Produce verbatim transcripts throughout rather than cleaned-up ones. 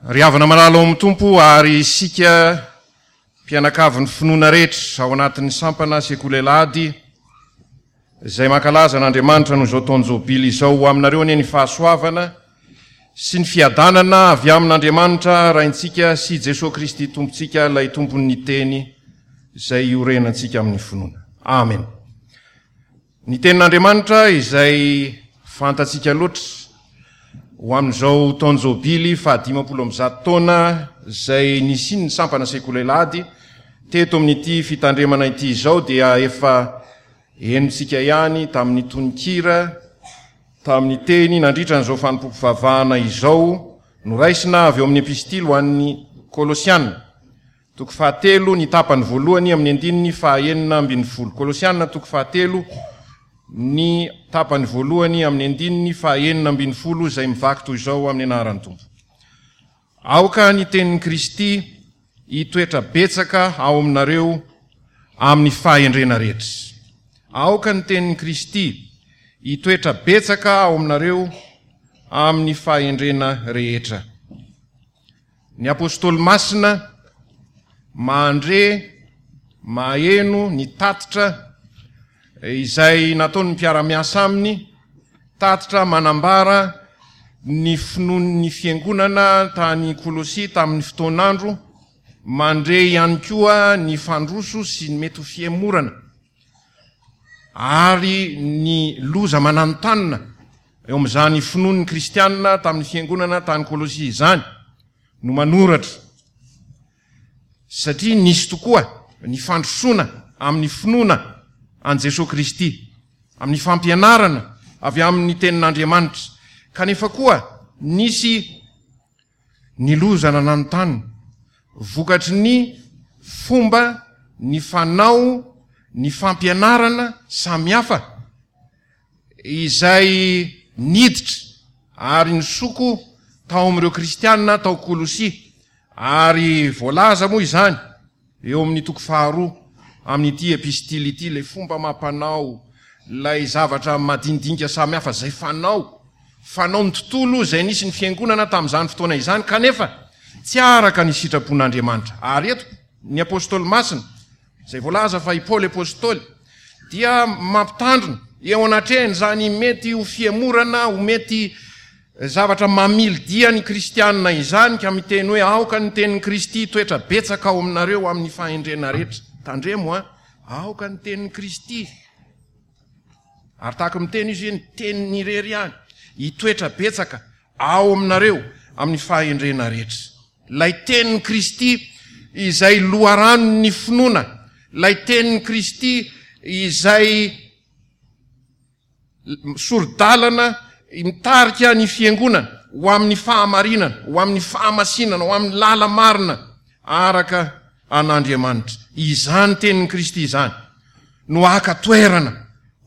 Ry havana malala ao amin'ny Tompo ary isika mpianakavin'ny finoana rehetra ao anatin'ny sampana Sekoly Alahady izay mankalaza an'Andriamanitra noho izao taon-jobily izao, ho aminareo anie ny fahasoavana sy ny fiadanana avy amin'Andriamanitra Raintsika sy Jesoa Kristy Tompontsika, ilay Tompon'ny Teny izay iorenantsika amin'ny finoana. Amen. Ny Tenin'Andriamanitra izay fantatsika loatra ho amin'izao taon-jobily fahadimampolo amby zato taona izay nisian'ny sampana Sekoly Alahady teto amin'ity fitandremana ity izao dia efa henontsika ihany tamin'ny tononkira, tamin'ny teny nandritra an'izao fanompoam-pivavahana izao, noraisina avy eo amin'ny epistily ho an'ny Kolosiana toko fahatelo ny tapany voalohany amin'ny andininy fahaenina ambin'ny folo. Kolosiana toko fahatelo ny tapany voalohany amin'ny andininy fahaenina ambin'ny folo izay mivaky toy izao amin'ny anaran'ny Tompo. Aoka ny tenin'i Kristy hitoetra betsaka ao aminareo amin'ny fahendrena rehetra. Aoka ny tenin'i Kristy hitoetra betsaka ao aminareo amin'ny fahendrena rehetra. Ny apostoly masina mandre, maheno ny tatitra izay nataon'ny mpiara-miasa aminy, tatitra manambara ny finoan'ny fiangonana tany Kolosia tamin'ny fotoan'andro, mandre ihany koa ny fandroso sy ny mety ho fihemorana ary ny loza mananontanona eo amin'izany finoan'ny kristianina tamin'ny fiangonana tany Kolosia izany no manoratra, satria nisy tokoa ny fandrosoana amin'ny finoana an'i Jesoa Kristy, amin'ny fampianarana avy amin'ny tenin'Andriamanitra, kanefa koa nisy ny loza nananontanona vokatry ny fomba, ny fanao, ny fampianarana samihafa izay niditra ary nisoko tao amin'ireo kristianina tao Kolosia, ary voalaza moa izany eo amin'ny toko faharoa amin'ity epistily ity, ilay fomba mampanao, ilay zavatra madinidinika samihafa izay fanao, fanao ny tontolo izay nisy ny fiangonana tamin'izany fotoana izany, kanefa tsy araka ny sitrapon'Andriamanitra. Ary eto ny apostoly masina izay voalaza fa i Paoly apostoly dia mampitandrina eo anatrehan'izany mety ho fihemorana, ho mety zavatra mamily dia ny kristianina izany, ka miteny hoe aoka ny tenin'i Kristy hitoetra betsaka ao aminareo amin'ny fahendrena rehetra. Tandremo a, aoka ny tenin'i Kristy, ary tahaka miteny izy hoe ny teniny irery ihany hitoetra betsaka ao aminareo amin'ny fahendrena rehetra. Ilay tenin'i Kristy izay loharanon'ny finoana, ilay tenin'i Kristy izay sori-dalana mitarika ny fiangonana ho amin'ny fahamarinana, ho amin'ny fahamasinana, ho amin'ny lala marina araka an'Andriamanitra. Izany tenin'i Kristy izany no haka toerana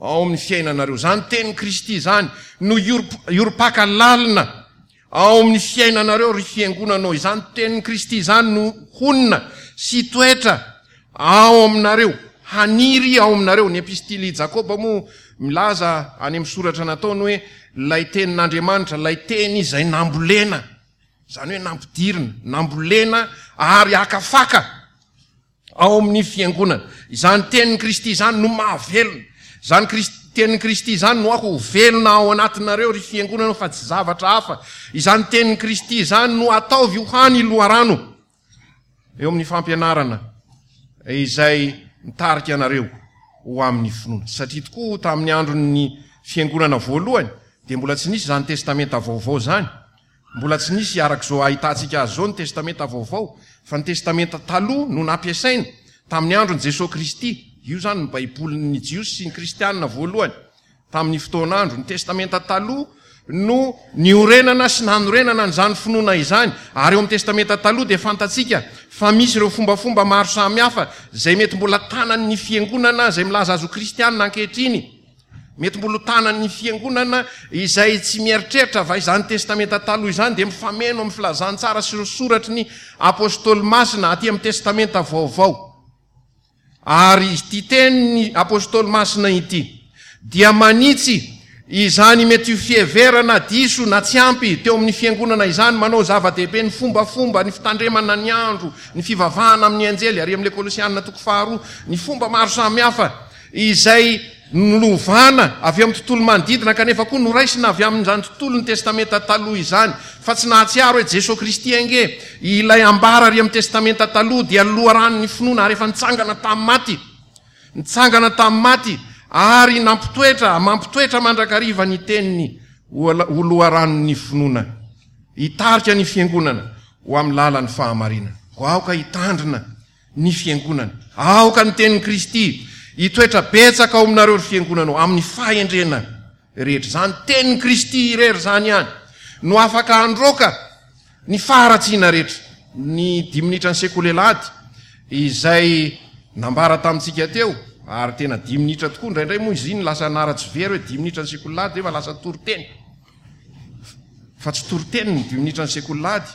ao amin'ny fiainanareo. Izany tenin'i Kristy izany no hiorim-paka lalina ao amin'ny fiainanareo, ry fiangonanao. Izany tenin'i Kristy izany no honina sy toetra ao aminareo, haniry ao aminareo. Ny epistily Jakoba moa milaza any amin'ny soratra nataony hoe ilay tenin'Andriamanitra, ilay teny izay nambolena, izany hoe nampidirina, nambolena ary akafaka ao amin'ny fiangonana. Izany tenin'i Kristy izany no mahavelona. Izany tenin'i Kristy izany no aho ho velona ao anatinareo, ry fiangonana, fa tsy zavatra hafa. Izany tenin'i Kristy izany no ataovy ho hany loharano eo amin'ny fampianarana izay mitarika anareo ho amin'ny finoana. Satria tokoa tamin'ny andron'ny fiangonana voalohany dia mbola tsy nisy izany testamenta vaovao izany. Mbola tsy nisy araka izao ahitantsika azy izao ny testamenta vaovao, fa ny testamenta taloha no nampiasaina tamin'ny andron'i Jesoa Kristy. Io izany ny Baibolin'ny Jiosy sy ny Kristianina voalohany tamin'ny fotoan'andro. Ny testamenta taloha no niorenana sy nanorenana an'izany finoana izany. Ary eo amin'ny testamenta taloha dia fantatsika fa misy ireo fombafomba maro samihafa izay mety mbola tanan'ny fiangonana izay milaza azy ho kristianina ankehitriny. Mety mbola ho tanan'ny fiangonana izay tsy mieritreritra va izany testamenta taloha izany dia mifameno amin'ny filazantsara sy ireo soratry ny apostoly masina aty amin'ny testamenta vaovao. Ary ity tenin'ny apostoly masina ity dia manitsy Izany mety ho fiheverana diso na tsy ampy teo amin'ny fiangonana izany, manao zava-dehibe ny fombafomba, ny fitandremana ny andro, ny fivavahana amin'ny anjely, ary amin'ilay Kolosianina toko faharoa, ny fomba maro samihafa izay nolovana avy amin'ny tontolo manodidina kanefa koa noraisina avy amin'izany tontolon'ny Testamenta Taloha izany, fa tsy nahatsiaro hoe Jesoa Kristy ange ilay ambara ary amin'ny Testamenta Taloha dia loharanon'ny finoana ary efa nitsangana tamin'ny maty. Nitsangana tamin'ny maty ary nampitoetra, mampitoetra mandrakariva ny teniny ho loharanon'ny finoana. Hitarika ny fiangonana ho amin'ny lalan'ny fahamarinana. Koa aoka hitandrina ny fiangonana. Aoka ny tenin'i Kristy hitoetra betsaka ao aminareo ry fiangonana ao, amin'ny fahendrena rehetra. Izany tenin'i Kristy irery izany ihany no afaka handroaka ny faharatsiana rehetra. Ny dimy minitra ny sekoly alahady izay nambara tamintsika teo, ary tena dimy minitra tokoa, indraindray moa izy iny lasa naratsy very hoe dimy minitra ny sekoly alahady nefa lasa toriteny. Fa tsy toriteny ny dimy minitra ny sekoly alahady,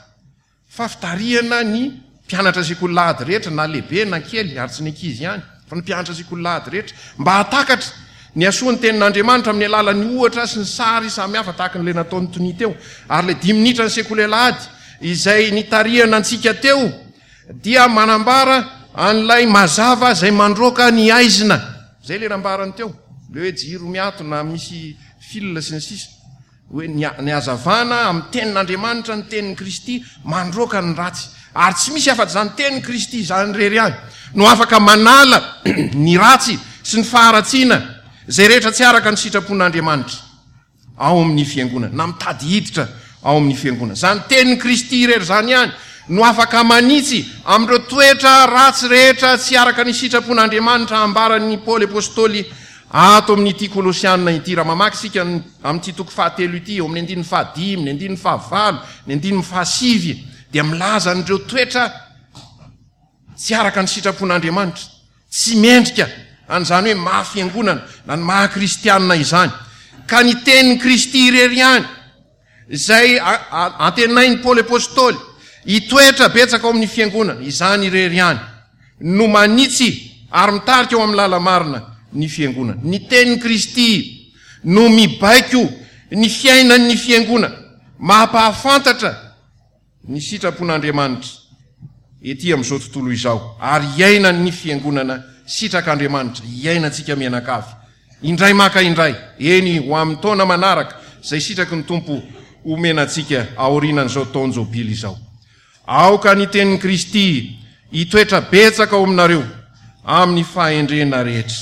fa fitarihana ny mpianatra sekoly alahady rehetra, na lehibe na kely, ary tsy ny ankizy ihany, fa ny mpianatra sekoly alahady rehetra, mba hahatakatra ny hasoan'ny tenin'Andriamanitra amin'ny alalan'ny ohatra sy ny sary samihafa tahaka an'ilay nataon'i Tonia teo. Ary ilay dimy minitra ny sekoly alahady izay nitarihana antsika teo dia manambara an'ilay mazava izay mandroaka ny aizina. Izay ilay nambarany teo, ilay hoe jiro miato na misy fil sy ny sisa. Hoe ny ny hazavana amin'ny tenin'Andriamanitra, ny tenin'i Kristy mandroaka ny ratsy. Ary tsy misy afa-tsy izany tenin'i Kristy izany irery ihany no afaka manala ny ratsy sy ny faharatsiana izay rehetra tsy araka ny sitrapon'Andriamanitra ao amin'ny fiangonana, na mitady hiditra ao amin'ny fiangonana. Izany tenin'i Kristy irery izany ihany no afaka manitsy amin'ireo toetra ratsy rehetra tsy araka ny sitrapon'Andriamanitra ambaran'i Paoly Apostoly ato amin'ity Kolosiana ity. Raha mamaky isika amin'ity toko fahatelo ity, eo amin'ny andininy fahadimy, ny andininy fahavalo, ny andininy fahasivy, dia milaza an'ireo toetra tsy araka ny sitrapon'Andriamanitra, tsy mendrika an'izany hoe maha fiangonana na ny maha kristianina izany. Ka ny tenin'i Kristy irery ihany, izay antenain'i Paoly Apostoly hitoetra betsaka ao amin'ny fiangonana, izany irery ihany no manitsy ary mitarika ao amin'ny lala-marina ny fiangonana. Ny tenin'i Kristy no mibaiko ny fiainan'ny fiangonana, mampahafantatra ny sitrapon'Andriamanitra ety amin'izao tontolo izao, ary iainan'ny fiangonana sitrak'Andriamanitra, iainantsika mianakavy, indray maka indray, eny ho amin'ny taona manaraka, izay sitraky ny Tompo homena antsika aorianan'izao taon-jobily izao. Aoka ny tenin'i Kristy hitoetra betsaka ao aminareo amin'ny fahendrena rehetra.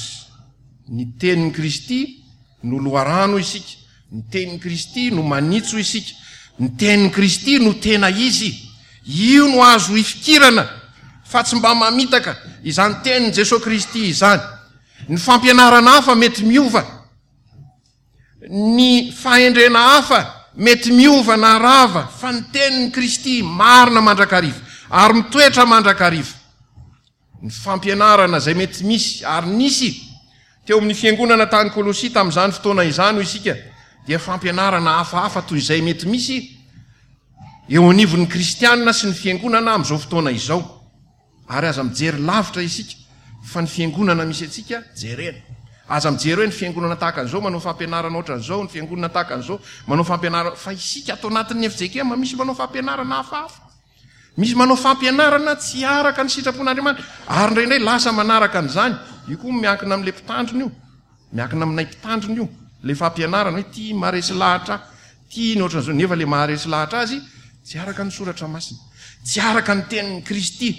Ny tenin'i Kristy no loharano isika, ny tenin'i Kristy no manitso isika, ny tenin'i Kristy no tena izy. Io no azo ifikirana fa tsy mba mamitaka izany tenin'i Jesoa Kristy izany. Ny fampianarana hafa mety miova, ny fahendrena hafa mety miova na rava, fa ny tenin'i Kristy marina mandrakariva ary mitoetra mandrakariva. Ny fampianarana izay mety misy ary nisy teo amin'ny fiangonana tany Kolosia tamin'izany fotoana izany, hoy isika, dia fampianarana hafahafa toy izay mety misy eo anivon'ny kristianina sy ny fiangonana amin'izao fotoana izao. Ary aza mijery lavitra isika fa ny fiangonana misy antsika jerena. Aza mijery hoe ny fiangonana tahaka an'izao manao fampianarana ohatran'izao, ny fiangonana tahaka an'izao manao fampianarana, fa isika ato anatin'ny F J K M misy manao fampianarana hafahafa. Misy manao fampianarana tsy araka ny sitrapon'Andriamanitra, ary indraindray lasa manaraka an'izany. Io koa miankina amin'ilay mpitandrina io, miankina aminay mpitandrina io, ilay fampianarana hoe tia maharesy lahatra, tia ny ohatran'izao, nefa ilay maharesy lahatra azy tsy araka ny soratra masina, tsy araka ny tenin'i Kristy,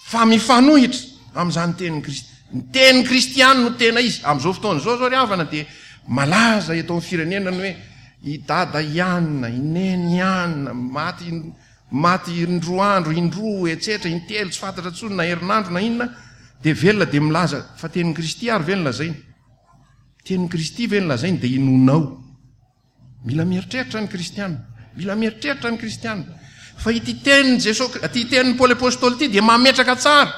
fa mifanohitra amin'izany tenin'i Kristy. Ny tenin'i Kristy ihany no tena izy. Amin'izao fotoana izao izao ry havana dia malaza eto amin'ny firenena ny hoe i Dada ihany, i Neny ihany, maty, maty indroa andro, indroa, etsetra, intelo, tsy fantatra intsony na herinandro na inona, dia velona dia milaza fa tenin'i Kristy ary ve no lazainy? Tenin'i Kristy ve no lazainy dia inoanao? Mila mieritreritra ny kristiana. Mila mieritreritra ny kristiana. Fa ity tenin'i Jesoa, ity tenin'i Paoly Apostoly ity dia mametraka tsara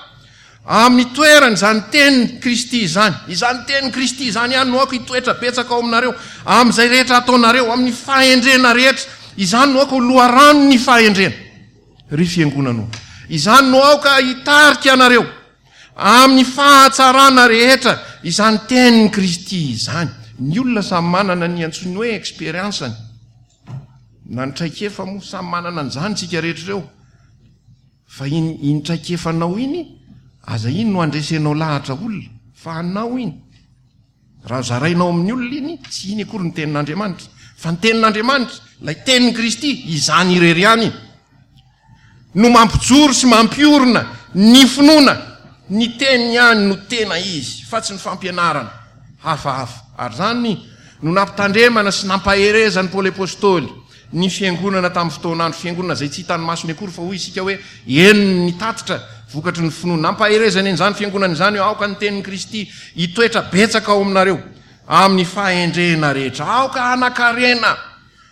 amin'ny toerany izany tenin'i Kristy izany. Izany tenin'i Kristy izany ihany no aoka hitoetra betsaka ao aminareo, amin'izay rehetra ataonareo, amin'ny fahendrena rehetra. Izany no aoka ho loharanon'ny fahendrena, ry fiangonana. Izany no aoka hitarika anareo amin'ny fahatsarana rehetra, izany tenin'i Kristy izany. Ny olona samy manana ny antsoiny hoe expérience-ny na ny traikefa moa, samy manana an'izany tsika rehetra ireo. Fa iny iny traikefanao iny aza iny no andresenao lahatra olona, fa anao iny. Raha zarainao amin'ny olona iny, tsy iny akory ny tenin'Andriamanitra, fa ny tenin'Andriamanitra, ilay tenin'i Kristy, izany irery ihany no mampijoro sy mampiorina ny finoana. Ny teniny ihany no tena izy, fa tsy ny fampianarana hafahafa. Ary izany no nampitandremana sy nampaherezan'i Paoly Apostoly ny fiangonana tamin'ny fotoan'andro, fiangonana izay tsy hitan'ny masony akory, fa hoy isika hoe henony ny tatitra vokatry ny finoana. Nampaherezany an'izany fiangonana izany hoe aoka ny tenin'i Kristy hitoetra betsaka ao aminareo amin'ny fahendrena rehetra. Aoka hanan-karena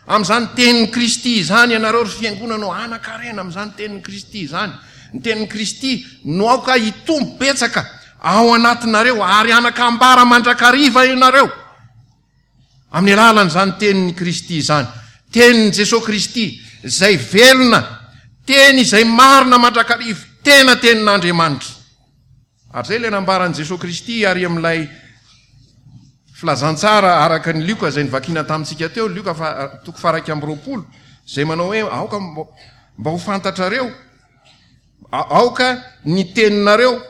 amin'izany tenin'i Kristy izany ianareo, ry fiangonana ô, hanan-karena amin'izany tenin'i Kristy izany. Ny tenin'i Kristy no aoka hitombo betsaka ao anatinareo ary hanan-kambara mandrakariva ianareo amin'ny alalan'izany tenin'i Kristy izany. Tenin'i Jesoa Kristy izay velona, teny izay marina mandrakariva, tena tenin'Andriamanitra. Ary izay ilay nambaran'i Jesoa Kristy ary amin'ilay filazantsara araka ny Lioka izay novakiana tamintsika teo, Lioka fa, toko faha-iraika amby roapolo, izay manao hoe aoka mba ho fantatrareo, aoka ny teninareo,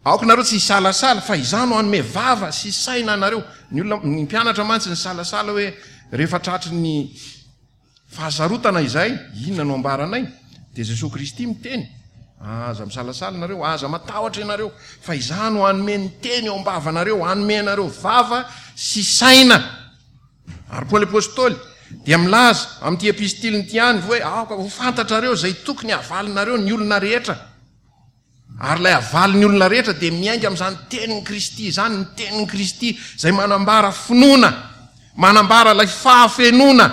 aoka nareo tsy hisalasala, fa izaho no hanome vava sy saina anareo. Ny olona, ny mpianatra mantsy nisalasala hoe rehefa tratry ny fahasarotana izay, inona no ambaranay? Dia Jesoa Kristy miteny, aza misalasala nareo, aza matahotra ianareo, fa izaho no hanome ny teny eo am-bavanareo, hanome anareo vava sy saina. Ary Paoly Apostoly dia milaza amin'ity epistiliny ity ihany hoe aoka ho fantatrareo izay tokony havalinareo ny olona rehetra. Ary ilay havalin'ny olona rehetra dia miainga amin'izany tenin'i Kristy izany, ny tenin'i Kristy izay manambara finoana, manambara ilay fahafenoana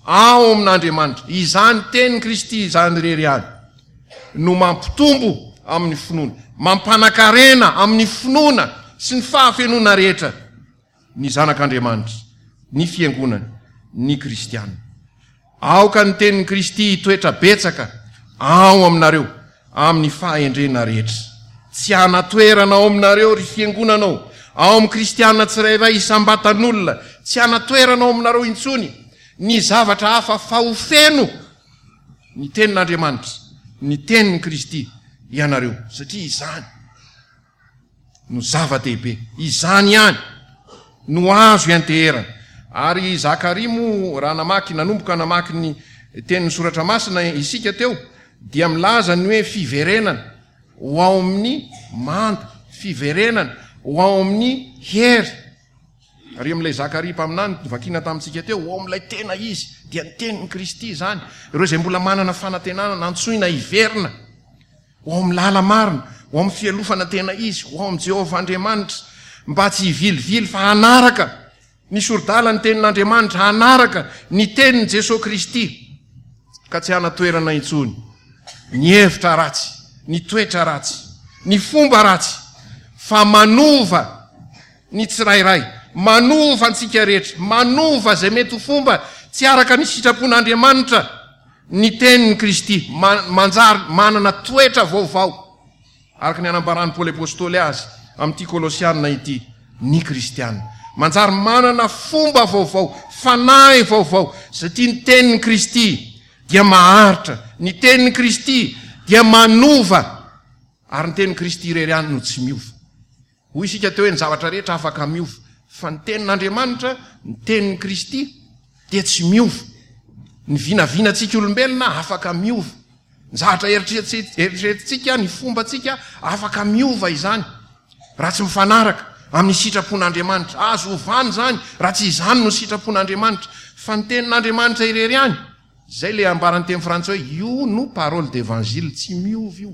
ao amin'Andriamanitra. Izany tenin'i Kristy izany irery ihany no mampitombo amin'ny finoana, mampanakarena amin'ny finoana sy ny fahafenoana rehetra ny zanak'Andriamanitra, ny fiangonany, ny kristiana. Aoka ny tenin'i Kristy hitoetra betsaka ao aminareo amin'ny fahendrena rehetra. Tsy hanan-toerana ao aminareo, ry fiangonana ô, ao amin'ny kristiana tsirairay isam-batan'olona, tsy hanan-toerana ao aminareo intsony ny zavatra hafa fa ho feno ny tenin'Andriamanitra, ny tenin'i Kristy ianareo, satria izany no zava-dehibe. Izany ihany no azo ianteherana. Ary Zakaria moa, raha namaky, nanomboka namaky ny tenin'ny Soratra Masina isika teo, dia milaza ny hoe fiverenana ho ao amin'ny manda, fiverenana ho ao amin'ny hery. Ary amin'ilay Zakaria mpaminany novakiana tamintsika teo, ho ao amin'ilay tena izy, dia ny tenin'i Kristy izany. Ireo izay mbola manana fanantenana, nantsoina hiverina ho ao amin'ny lala-marina, ho ao amin'ny fialofana tena izy, ho ao amin'i Jehovah Andriamanitra, mba tsy hivilivily fa hanaraka ny sori-dalan'ny tenin'Andriamanitra, hanaraka ny tenin'i Jesoa Kristy, ka tsy hanan-toerana intsony ny hevitra ratsy, ny toetra ratsy, ny fomba ratsy, fa manova ny tsirairay, manova antsika rehetra, manova izay mety ho fomba tsy araka ny sitrapon'Andriamanitra ny tenin'i Kristy, manjary manana toetra vaovao, araka ny anambaran'i Paoly Apostoly azy amin'ity Kolosiana ity, ny Kristiana. Manjary manana fomba vaovao, fanahy vaovao, satria ny tenin'i Kristy dia maharitra, ny tenin'i Kristy dia manova, ary ny tenin'i Kristy irery ihany no tsy miova. Hoy isika teo hoe ny zavatra rehetra afaka miova, fa ny tenin'Andriamanitra, ny tenin'i Kristy dia tsy miova. Ny vinavinantsika olombelona afaka miova. Ny zavatra eritreretintsika, ny fombantsika afaka miova izany raha tsy mifanaraka amin'ny sitrapon'Andriamanitra. Azo ovana izany raha tsy izany no sitrapon'Andriamanitra. Fa ny tenin'Andriamanitra irery ihany, izay ilay ambaran'ny teny frantsay hoe io no parole d'évangile, tsy miova io.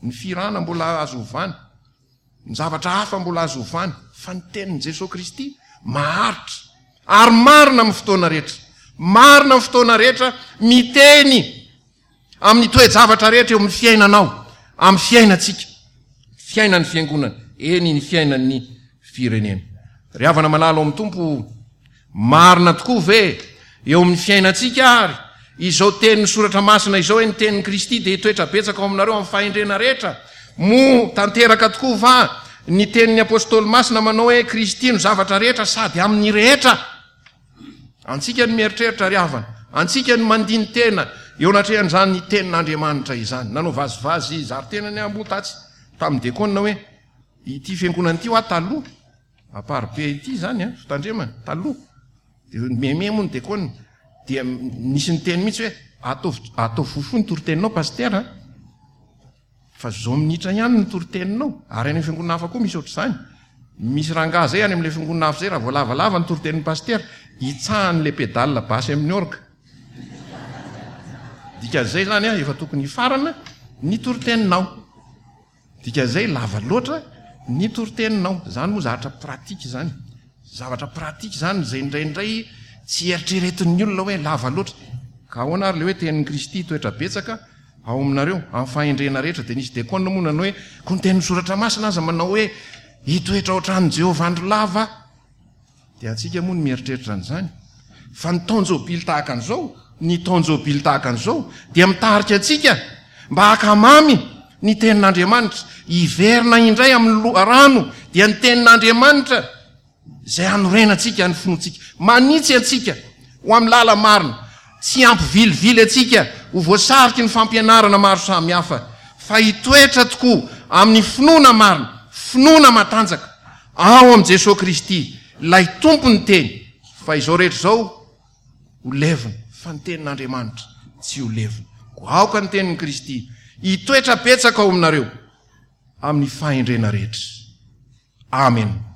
Ny fihirana mbola azo ovana. Ny zavatra hafa mbola azo ovana, fa ny tenin'i Jesoa Kristy maharitra ary marina amin'ny fotoana rehetra. Marina amin'ny fotoana rehetra, miteny amin'ny toe-javatra rehetra eo amin'ny fiainanao, amin'ny fiainantsika, fiainan'ny fiangonana, eny ny fiainan'ny firenena. Ry havana malala ao amin'ny Tompo, Marina tokoa ve eo amin'ny fiainantsika àry izao tenin'ny Soratra Masina izao hoe ny tenin'i Kristy dia hitoetra betsaka ao aminareo amin'ny fahendrena rehetra? Moa tanteraka tokoa va Ny tenin'ny Apôstôly masina manao hoe Kristy no zavatra rehetra sady amin'ny rehetra. Antsika ny mieritreritra ry havana, antsika ny mandini-tena eo anatrehan'izany tenin'Andriamanitra izany. Nanao vazivazy zary tenany aho moa tatsy tamin'ny dekona hoe ity fiangonana ity hoa taloha, Amparibe ity izany an, fitandremana, taloha. Dia meme moa ny dekona, dia nisy niteny mihitsy hoe ataovy ataovy fohifohy ny toriteninao pasitera an. Fa zao minitra ihany ny toriteninao. Ary any amin'ny fiangonana hafa koa misy ohatr'izany. Misy rangahy zay any amin'ilay fiangonana hafa zay, raha vao lavalava ny toritenin'ny pasitera, hitsahany ilay pédale basse amin'ny orgue. Dikan'izay izany an, efa tokony hifarana ny toriteninao. Dikan'izay lava loatra ny toriteninao. Izany moa zavatra pratique izany. Zavatra pratique izany izay indraindray tsy eritreretin'ny olona hoe lava loatra. Ka ahoana ary ilay hoe tenin'i Kristy hitoetra betsaka ao aminareo, amin'ny fahendrena rehetra? Dia nisy dekona moa nanao hoe, koa ny tenin'ny Soratra Masina aza manao hoe hitoetra ao an-tranon'i Jehovah andro lava. Dia antsika moa ny mieritreritra an'izany. Fa ny taon-jobily tahaka an'izao, ny taon-jobily tahaka an'izao dia mitarika antsika mba hankamamy ny tenin'Andriamanitra, hiverina indray amin'ny loharano dia ny tenin'Andriamanitra izay hanorenantsika ny finoantsika, manitsy antsika ho amin'ny lala-marina, tsy hampivilivily antsika ho voasariky ny fampianarana maro samihafa, fa hitoetra tokoa amin'ny finoana marina, finoana matanjaka ao amin'i Jesoa Kristy, ilay Tompon'ny Teny, fa izao rehetra izao ho levona, fa ny Tenin'Andriamanitra tsy ho levona. Koa aoka ny Tenin'i Kristy hitoetra betsaka ao aminareo amin'ny fahendrena rehetra. Amen.